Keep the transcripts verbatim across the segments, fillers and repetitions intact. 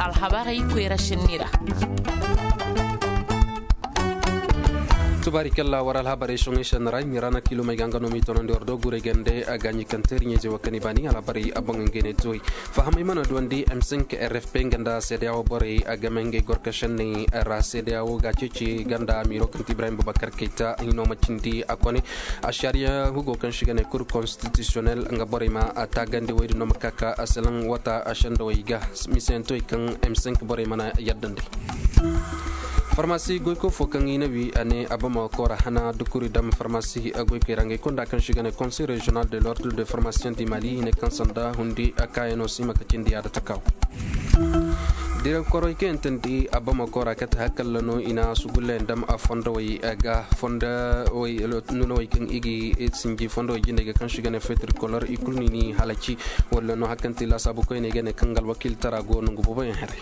Alhabarey koyra šenni ra. Tubaari kalla war alhabarey soŋey šenni ra ɲi ra na kiilumey ga nga no m'i tonandi war do guray gande a ga ɲi kaŋ teeri ɲeeze wo kaŋ i baani alhabarey a boŋ ngey ne tuwey. Fahamey mana duwandi m cinq rfp nga nda seedeya wo borey a game ngey gorka šenney ra seedeya wo ga ceeci ganda amiiro kaŋ ti ibrahim bubakar kayta hino ma cindi a kone. Ašariya hugo kaŋ si ga ne kur konstitisiyonel nga borey ma a taagandi woy din no ma ka ka a selaŋ wata a sendowey ga. Misiyantowey kaŋ m cinq borey mana yaddandi. Farmasi goyko fo kaŋ i na wi a ne abamako ra hana dukuri dam farmasi goykoy ra ngey konda kaŋ si ga ne konsey reziyonal de lordre de farmasiyen di mali i ne kaŋ sanda hundi a kaayano si ma ka cindi yaada takaw. Direkkoroy kaŋ yaŋ tandi abamako ra kate hakalla no i na sugullayaŋ dam a fondowey ga fondowey nunawey kaŋ i ga sinji fondowey jindey ga kaŋ si ga ne fetir kolor i kulu ni ni halaci. Walla no hakanti laasaabu koyney ga ne kaŋ ga alwakiiltara go nongu booboyaŋ haray.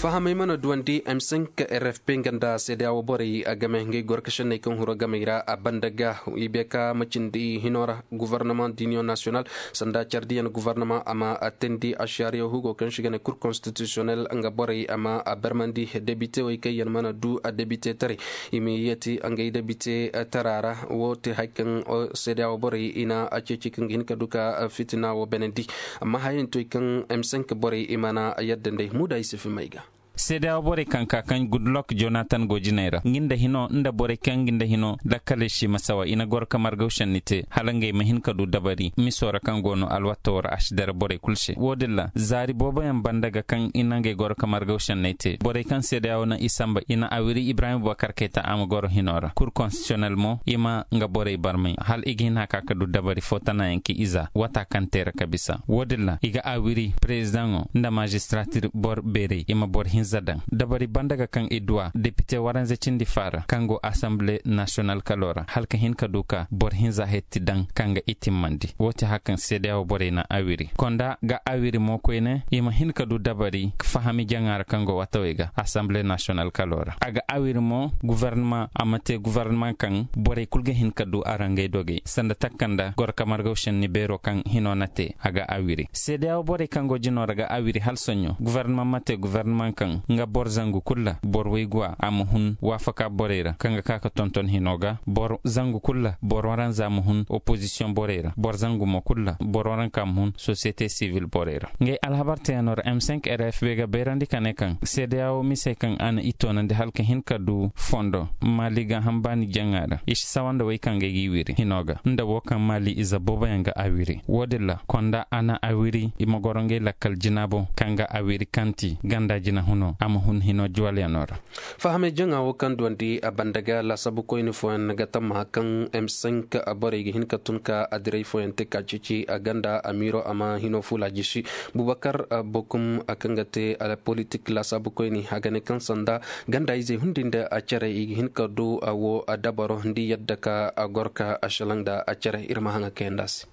Fahamey mana duwandi m cinq rfp nga nda seedeya wo borey a game ngey gorka šenney kaŋ huro gamey ra a banda ga i beka macindi hino ra. Gouvernement d'union national sanda cardiyan gouvernement a ma a teendi ašariya hugo kaŋ si ga ne kur konstitisiyonel nga borey a ma a barmandi debitewey kaŋ yaŋ mana du a debitetaray i ma yeeti ngey debite tara ra. Wo te hay kaŋ seedeya wo borey i na a ceeci kaŋ ga hin ka du ka fitina wo benandi. Amma hayantey kaŋ m cinq borey i mana yadda nd'ey muuda i si fimay ga. Seedeya wo borey kaŋ ka kaŋ gudlok jonatan go jinay ra nga nda hino nda borey kaŋ nga nda hino lakkaley si masawa i na goro ka margaw senni te hala ngey ma hin ka du dabari miso ra kaŋ go no alwato ra a si dara borey kulu se wo-din ra zaari booboyaŋ banda ga kaŋ i na ngey goro ka margaw senney te borey kaŋ seedeya wo na i samba i na awiri ibrahim bubakar kayta a ma goro hino ra kur konstitisiyonel mo i ma nga borey barmay hala i ga hin haka ka du dabari fo tanayaŋ ka i za wata kaŋ te ra ka bisa wo-din ra i ga awiri perezidaŋo nda mazistratir bor beerey i ma bor hinza daŋ dabari banda ga kaŋ i duwa depite waranza cindi faara kaŋ go asambile nasiyonal kalo ra hala ka hin ka du ka bor hinza hetti daŋ kaŋ ga i timmandi wo ti hakaŋ seedeya wo borey na awiri konda ga awiri mo koyne i ma hin ka du dabari fahami jaŋa ra kaŋ go watawey ga asambile nasiyonal kalo ra a ga awiri mo guvarnama a ma te guvarnama kaŋ borey kulu ga hin ka du a ra ngey dogey sanda takka nda goro ka margaw senni beero kaŋ hino na te a ga awiri seedeya wo borey kaŋ go jino ra ga awiri hala soɲo guvarnama ma te guvarnama kaŋ nga boro zangu kulu ra boro wayguwa a ma hun waafaka borey ra kaŋ ga ka ka tonton hino ga boro zangu kulu ra boro waranza ma hun opozisiyoŋ borey ra boro zangu mo kulu ra boro waranka ma hun sosiyete sivil borey ra ngey alhabar teyaŋo ra m cinq rfb ga bayrandi ka ne kaŋ seedeya wo misey kaŋ a na i toonandi hala ka hin ka du fondo maali ga hambaani jaŋa ra i si sawa nda wey kaŋ ga ay g'i wiri hino ga nda wo kaŋ maali ize booboyaŋ ga awiri wo-din ra konda a na awiri i ma goro ngey lakkal jina boŋ kaŋ ga awiri kaŋ ti ganda jina huno a ma hun hino juwalyaŋo ra. Fahamey jaŋa wo kaŋ duwandi a banda ga laasaabu koyne fooyaŋ ga tammaha kaŋ m cinq borey ga hin ka tun ka adiray fooyaŋ te ka ceeci a ganda amiiro a ma hino fuula jisi bubakar bokum kaŋ ga te politik laasaabu koyne a ga ne kaŋ sanda ganda izey hundi nda a care i ga hin ka du a wo a dabaro nda i yadda ka a goro ka a šelaŋ nda a care ir ma haŋa kayandi a se.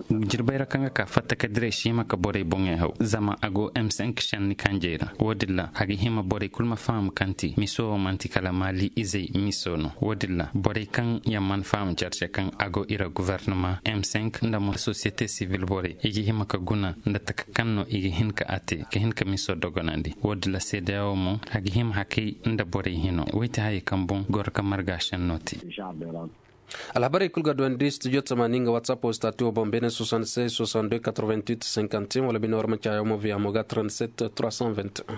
Jirbey ra kaŋ ga ka fatta ka diray si hima ka borey boŋey haw zama a go m cinq senni kanjey ra wo-din ra a ga hima borey kulu ma faham kaŋ ti miso wo man'ti kala maali izey miso no wo-din ra borey kaŋ yaŋ mana faham care se kaŋ a go i ra guvernama m cinq nda mo sosiyete sivil borey i ga hima ka guna nda taka kaŋ no i ga hin ka a te ka hin ka miso dogonandi wo-din ra seedeya wo mo a ga hima hakay nda borey hino wey ti hayey kaŋ boŋ goro ka marga senno te. Alhabarey kulu ga duwandi studio tamaani nga whatsapp wo stati wo boŋ beene soixante-seize soixante-deux quatre-vingt-huit cinquante et un wala bine war ma caayo mo via mo ga trente-sept trois cent vingt et un.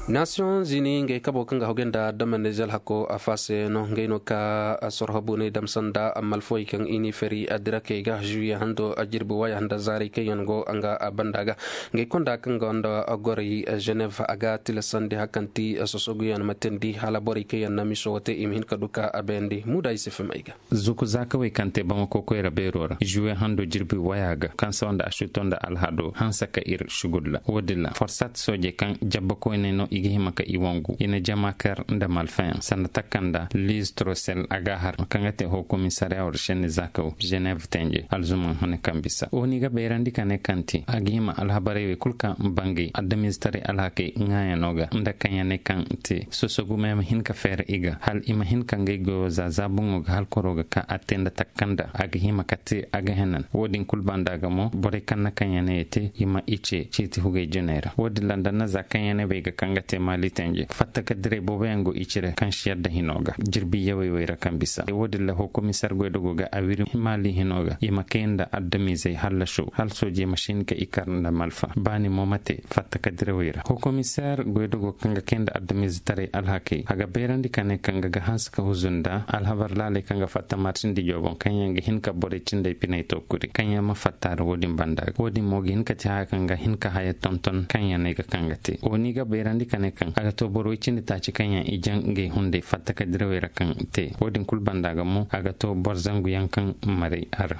Nation zini ngey kabo kaŋ ga hogay nda damande zel hako a faase no ngey no ka sorho buney dam sanda malfoy kaŋ i ni feri a dirakey ga juye hando a jirbi waya nda zaarey kaŋ yaŋ go nga a banda ga ngey konda kaŋ ga nda gorey geneve a ga tilasandi hakanti sosoguyaŋ ma teendi hala borey kaŋ yaŋ na miso wo te i ma hin ka du ka a bayandi muuda i si fim ay ga. Zuku zaakawey kaŋ te bamako koyra beero ra juwe hando jirbi waya ga kaŋ sawa nda asuto nda alhado hanse ka ir sugulla wo-din ra forsat soojey kaŋ jabba koyney no. i ga hima ka i wangu i na jama kar nda malfayaŋ sanda takanda liz trosel a ga har kaŋ ga te hokomisariya war šenni zakaw ženev tenje alzuman hune kaŋ bisa wo ni ga bayrandi ka ne kaŋ te a ga hima alhabarey wey kulu kaŋ bangay adamiize taray alhakey ŋaayano ga nda kaŋ ya ne kaŋ te sosogume ma hin ka feera i ga hal i ma hin ka ngey goyo za za boŋo ga hal koro ga ka a te nda takanda a ga hima ka te a ga henan wo- din kulu banda ga mo borey kaŋ na kaŋ ya ne ya te i ma i ce ciiti hugay jinay ra wo- din ra nda na za kaŋ ya ne bay ga kaŋ ga te maali tenje fatta ka diray booboyaŋ go i cire kaŋ si yadda hino ga jirbi yawey wey ra kaŋ bisa wo- din ra hokomisar goydogo ga a wiri maali hino ga i ma kay nda adamiizey hallaso hal soojey ma si hin ka i kar nda malfa baani mo ma te fatta ka dirawey ra hokomisar goydogo kaŋ ga kay nda adamiizetaray alhakey a ga bayrandi ka ne kaŋ ga ga hanse ka huzu nda alhabar laaley kaŋ ga fatta martindi jooboŋ kaŋ yaŋ ga hin ka borey cindey pinay to kuri kaŋ yaŋ ma fatta ra wo- din banda ga wo- din mo ga hin ka te haya kaŋ ga hin ka haya tonton kaŋ yaŋ no ay ga kaŋ ga te wo- ni ga bayrandi ka ne kaŋ a ga to boro way cindi taaci kaŋ yaŋ i jaŋ ngey hunday fatta ka dirawey ra kaŋ te wo- din kulu banda ga mo a ga to boro zangu yaŋ kaŋ maray a ra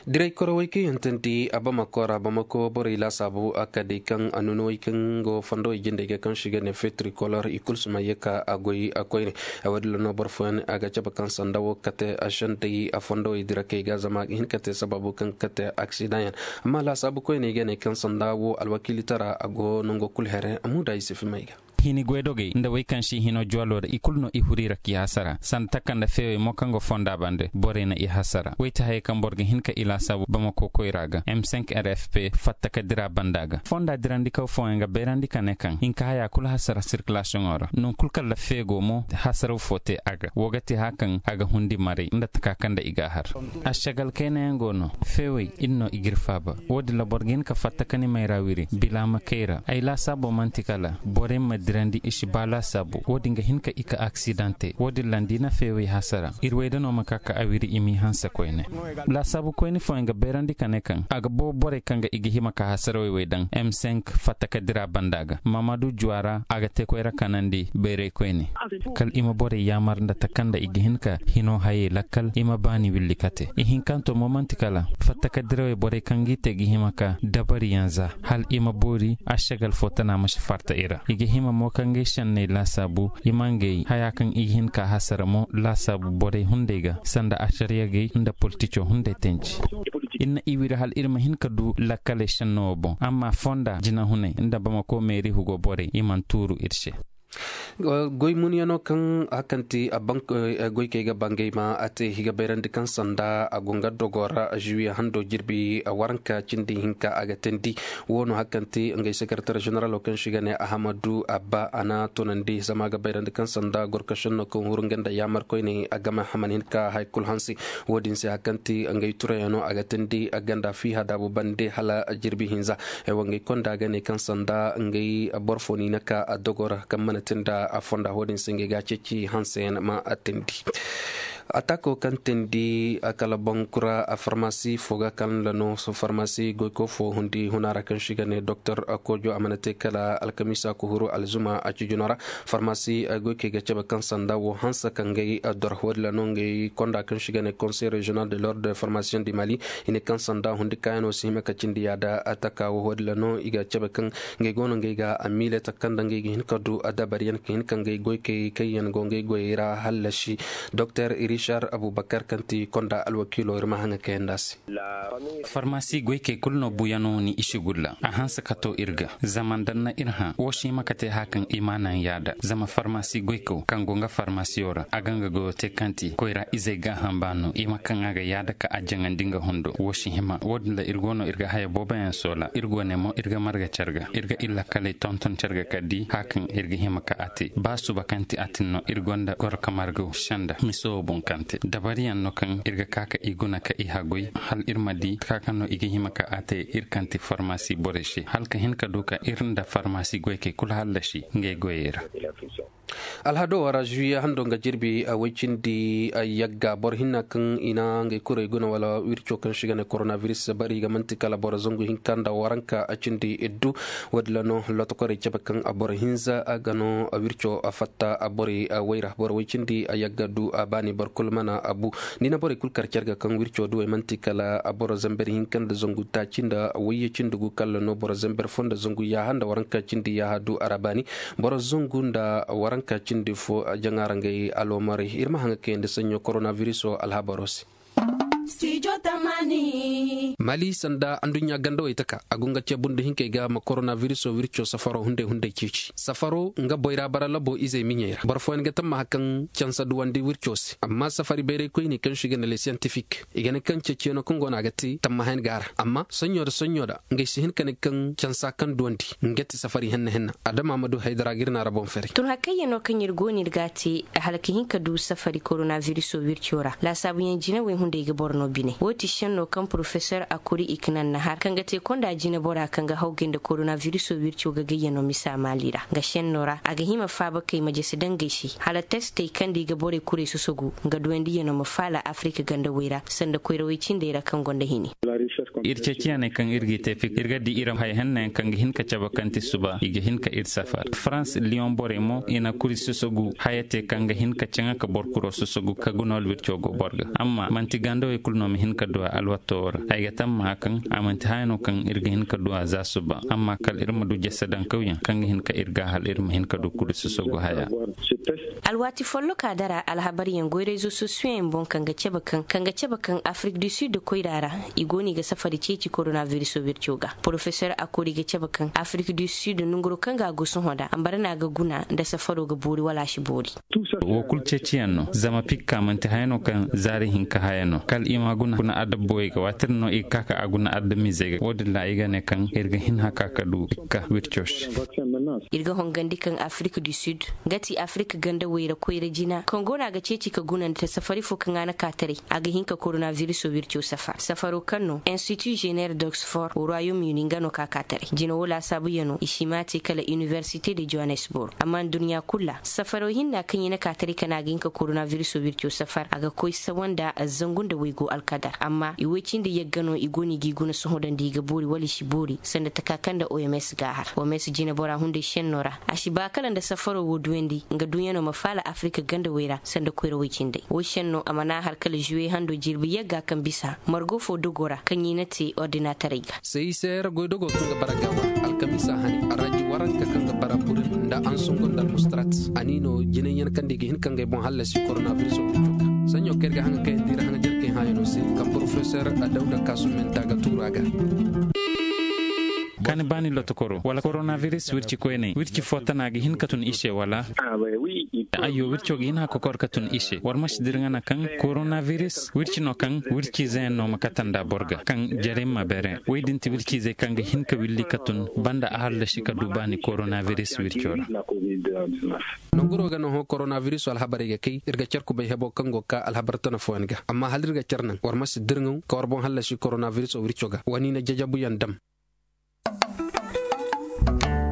diray korawey kaŋ yaŋ tandi a bamako ra bamako borey laasaabu a ka day kaŋ a nunowey kaŋ go fondowey jindey ga kaŋ si ga ne fetrikolor i kulu si ma ye ka a goy a koyne. Wo- din ra no boro fooyaŋ a ga cabe kaŋ sanda wo kate a sendey a fondowey dira kay ga zama a ga hin ka te sabaabu kaŋ kate aksidaŋ yaŋ amma laasaabu koyney ga ne kaŋ sanda wo alwakiilitara a go nango kulu here a muuda i si fimay ga hini goydogey nda wey kaŋ si hino juwalo ra i kulu no i huri ra k'i hasara sanda taka nda feewey mo kaŋ go fonda bande borey na i hasara wey ti hayey kaŋ boro ga hin ka i laasaabu bamako koyra ga m cinq r f p fatta ka dira banda ga fonda dirandikaw fooyaŋ ga bayrandi ka ne kaŋ hinka haya kulu hasara sirkilasiyoŋo ra non kulu kala feego mo hasaraw fo te a ga wo ga te haya kaŋ a ga hundi maray nda taka kaŋ nda i ga a har ašagal kaynayaŋ go no feewey ir no i g'ir faaba wo- din ra boro ga hin ka fatta ka ni mayra wiri bila ma kay ra ay laasaabo man'ti kala borey ma dirandi i si ba laasaabu wo- din ga hin ka i ka aksidaŋ te wo- din ra nda i na feewey hasara ir wayda no ma ka ka a wiri i m'i hanse koyne laasaabu koyne fooyaŋ ga bayrandi ka ne kaŋ a ga boobo borey kaŋ ga i ga hima ka hasarawey wey daŋ m cinq fatta ka dira banda ga mamadu juwa ra a ga te koyra kanandi bayray koyne kala i ma borey yaamar nda taka nda i ga hin ka hino hayey lakkal i ma baani willi kate ihinkanto mo man'ti kala fatta ka dirawey borey kaŋ g'i te ga hima ka dabariyaŋ za hala i ma boori ašagal fo tana ma si farta i ra i ga hima mo ka ngey senney laasaabu i ma ngey haya kaŋ i ga hin ka hasara mo laasaabu borey hunday ga sanda ašariyagey nda politico hunday tanji ir na i wiri hala ir ma hin ka du lakkaley senno wo boŋ amma fonda jinahunay nda bamako meeri hugo borey i mana tuuru ir se goy munyanoo kaŋ hakanti goykey ga bangay ma a te i ga bayrandi kaŋ sanda a go nga dogoo ra žuwiye handoo jirbi waranka cindi hinka a ga teendi woo no hakanti ngey sekeretar ženeraloo kaŋ se i ga ne ahamadu abba a na tunandi zama a ga bayrandi kaŋ sanda gorkašennoo kaŋ huru nga nda yaamar koyney a game a mana hin ka haya kul hanse. Woo din se hakanti ngey turayanoo a ga teendi a ganda fiiha daabu bande hala jirbi hinza. Ay wa ngey konda ga ne kaŋ sanda ngey boro foo ni na ka a dogoo ra kaŋ mana te nda a fonda woo din se ngey ga a ceeci hanseyaŋ ma a teendi. Ataakoo kaŋ teendi a kala bankura a farmasi foo ga kaŋ la no farmasi goykoo foo hundi huna ra kaŋ se i ga ne doktor koojo a mana te kala alkamiisa ka huru alzuma a cijinoo ra. Farmasi goykey ga cabe kaŋ sanda woo hanse ka ngey dor woo din ra no ngey konda kaŋ se i ga ne konsey reziyonal de lord de farmasiyoŋ di mali i ne kaŋ sanda hundi kaayanoo si hima ka cindi yaada. Taka woo woo din ra no i ga cabe kaŋ ngey go no ngey ga a miile taka nda ngey ga hin ka du dabariyaŋ ka hin ka ngey goykey kaŋ yaŋ go ngey goyey ra hallasi. Doktor rishar abubakar kaŋ ti konda alwakiiloo ir ma haŋa kayandi a se. Farmasi goykey kulu no buyanoo ni i si gulla a hanse ka to ir ga zama nda na ir hã woo si hima ka te haya kaŋ i ma naŋ yaada zama farmasi goykaw kaŋ go nga farmasiyo ra a ga nga goyoo te kaŋ ti koyra izey gaaham baano i ma kaŋ a ga yaada ka a jaŋandi nga hundo woo si hima woo din ra ir go no ir ga haya booboyaŋ soola ir go ne mo ir ga marga car ga ir ga ir lakkaley tonton car ga ka di haya kaŋ ir ga hima ka a te ba suba kaŋ ti a tin no ir gonda goro ka marga senda mise woo boŋ kaŋ te dabariyaŋ no kaŋ ir ga ka ka i guna ka i hagoy hala ir ma di ka kaŋ no i ga hima ka a te ir kaŋ ti farmasi borey se hala ka hin ka du ka ir nda farmasi goykey kulu hallasi ngey goyey ra. Alhado wara žuwiye hando nga jirbi woy cindi yagga boro hinna kaŋ i na ngey kurey guna wala wirco kaŋ se i ga ne koronaviris bari ga man'ti kala boro zangu hinka nda waranka cindi iddu. Woo din ra no lotokorey cabe kaŋ boro hinza ga no wirco fatta borey woy ra boro woy cindi yagga du baani boro. kul mana abu. Ni na borey kul kar car ga kaŋ wirco duwey man'ti kala boro zamber hinka nda zangu taaci nda wayye cindi gu kalla no boro zamber fo nda zangu yaaha nda waranka cindi yaaha du a ra baani. Boro zangu nda waranka cindi fo jaŋa ra ngey aloomarey ir ma haŋa kayandi saɲɲo koronabiriso alhabaro se. Mali sanda anduɲɲa gandawey taka a go nga ceebu nda hinkey ga ma koronabiriso wirco safaro hunday hunday ceeci safaro nga boyra bara labo izey miɲey ra boro fooyaŋ ga tammaha kaŋ cansa duwandi wirco se amma safari bayray koyni kaŋ se i ga ne le siyantifik i ga ne kaŋ ceeciyaŋo kaŋ go no a ga te tammahayaŋ ga a ra amma soɲɲo nda soɲɲo nda ngey si hin ka ne kaŋ cansa kaŋ duwandi nga ti safari henna henna adama ma du haydara ga ir na ra boŋ fere. Tun hakayyaŋo kaŋ ir go no ir ga a te hala ka hin ka du safari koronabiriso wirco ra laasaabuyaŋ jinawey hunday ga boro no bine wo ti šenno kaŋ porofesor akuri i ka naŋ na har kaŋ ga te konda jinabora kaŋ ga hawgay nda koronabiriso wirco ga gayyaŋo misa maali ra nga šenno ra a ga hima faaba kay ma jese dangey se hala testey kaŋ nda i ga borey kurey sosogu nga duwandiyaŋo ma faala afirika gandawey ra sanda koyrawey cindey ra kaŋ gonda hini. Ir ceeciyaney kaŋ ir g'i te fik ir ga di ir haya hennayaŋ kaŋ ga hin ka cabe kaŋ ti suba i ga hin ka ir safar farans liyoŋ borey mo i na kuri sosogu haya te kaŋ ga hin ka caŋa ka boro kuro sosogu ka guna wala wirco go boro ga amma man'ti gandawey kulu no ma hin ka du a alwato wo ra ay ga tammaha kaŋ a man'ti haya no kaŋ ir ga hin ka du a za suba amma kala ir ma du jese dankawyaŋ kaŋ ga hin ka ir ga hala ir ma hin ka du kuri sosogu haya. Alwaati folloka dara alhabaryaŋ goy rezo sosiyoyaŋ boŋ kaŋ ga cabe kaŋ afirik du sid koyra ra i go no i ga safari ceeci koronabiriso wirco ga porofesor akori ga cabe kaŋ afirik du sid nonguro kaŋ ga a go sohõ nda ambara no a ga guna nda safaro ga boori wala a si boori. Wo kulu ceeciyaŋ no zama pikka man'ti haya no kaŋ zaari hinka haya no kala i ma guna adabboyey ga waati din no i ga ka ka a guna adamizey ga wo- din ra i ga ne kaŋ ir ga hin haka ka du pikka wirco se. Ir ga hongandi kaŋ afirik du sid nga ti afirik gandawey ra koyra jina kaŋ go no a ga ceeci ka gunandi ta safari fo kaŋ a na ka taray a ga hin ka koronabiriso wirco safar safaro kaŋ no institu zener d'oxford royaume uni nga no ka ka taray jina wo laasaabuyaŋo i si ma a te kala inibersite de johannesburg amma nduɲɲa kulu ra safaro hinna kaŋ i na ka taray ka ne a ga hin ka koronabiriso wirco safar a ga koy sawa nda zangu nda waygu alkadar amma i woy cindi yagga no i go no i g'i guna sohõ da nda i ga boori wala i si boori sanda taka kaŋ nda oms ga a har oms jinabora hunday šenno ra a si ba kala nda safaro wo duyandi nga duɲɲano ma faala afirika gandawey ra sanda koyrawey cindey wo šenno a mana har kala zuwe hando jirbi yagga kaŋ bisa margo fo dogo ra kaŋ i na te ordinatarey ga. Sayisayra goydogo kaŋ ga bara gawa alkamisa hane araji waranka kaŋ ga bara burin nda ansungo nda almustarat a ni no jinayyaŋ kaŋ da i ga hin ka ngey boŋ hallasi koronabiriso. Saɲɲo kaŋ ir ga haŋa kayandi ra haŋa jarkey haayano se kaŋ porofesor dawda kaasumenta ga tuuru a ga. Kaani baani lotokoro wala koronabiris wirci koyney wirci fo tana ga hin ka tun i se wala? Ayyo wirco ga hin hakokor ka tun i se war ma si dirŋa na kaŋ koronabiris wirci no kaŋ wirciizeyaŋ no ma kate nda boro ga kaŋ jare ma beere woy din ti wirciizey kaŋ ga hin ka willi ka tun banda a hallasi ka du baani koronabiris wirco ra. Nanguro ga no hõ koronabiriso alhabarey ga kay ir ga car kubay hebo kaŋ go ga ka alhabar tana fooyaŋ ga amma hala ir ga car naŋ war ma si dirŋaw ka war boŋ hallasi koronabiriso wirco ga wa ni na jajabuyaŋ dam.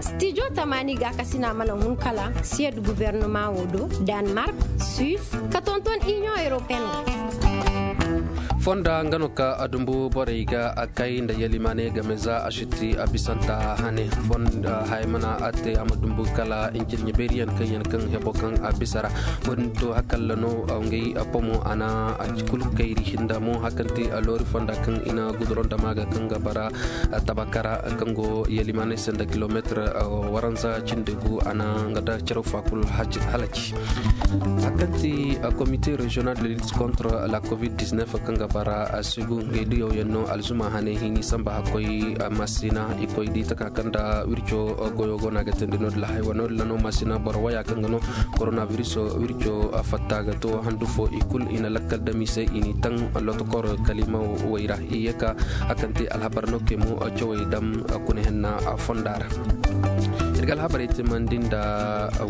Stijo tamaani gaakasina mana hun kala siyed gubernama wo do, danmark, suis, ka tonton iniyoŋ europeen. Fonda nga no ka a dumbu borey ga a kay nda yalimaaney game za a si ti a bisanta hane fonda haya mana a te a ma dumbu kala injirɲe beeriyaŋ kaŋ yaŋ kaŋ hebo kaŋ a bisa ra. Wo- din to hakalla no ngey pomo a na a kulu kayri nda mo hakanti a loori fonda kaŋ i na guduron dama ga kaŋ ga bara tabakara kaŋ go yalimaaney se nda kilomeetir waranza cindi gu a na nga da caraw fa kulu halaci. Hakanti komite regional de lutte contre la covid dix-neuf kaŋ ga bara a sigu ngey diyaw yaŋ no alzuma hane hini samba hakkoy masina i koy di taka kaŋ da wirco goyo go no a ga tindi no- din la haywa no- din la no masina boro waya kaŋ ga no koronabiris wirco fatta ga to handu fo i kulu i na lakkal dami se i n'i taŋ lotokor kalima way ra i ye ka a kaŋ te alhabar no kay mo cawey dam kuna henna fonda ra. Ir ga alhabarey timandi nda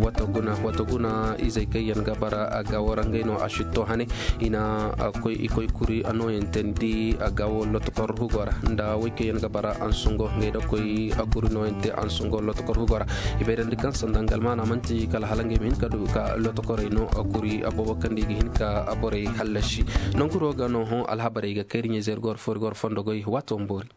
wata guna wata guna izey kaŋ yaŋ ga bara a ga warangay no a sitto hane i na koy i koy kuri a nooyaŋ teendi a ga wo lotokor hugo ra nda way kaŋ yaŋ ga bara ansungo ngey da koy a kuri nooyaŋ te ansungo lotokor hugo ra. I bayrandi kaŋ sanda nga almaana manti kala hala ngey ma hin ka du ka lotokorey no a kuri a boobo kaŋ da i ga hin ka a borey hallasi. Nanguro ga no hõ alhabarey ga kayri ɲayzey ir go war fo ir go war fondo goy waato ma boori.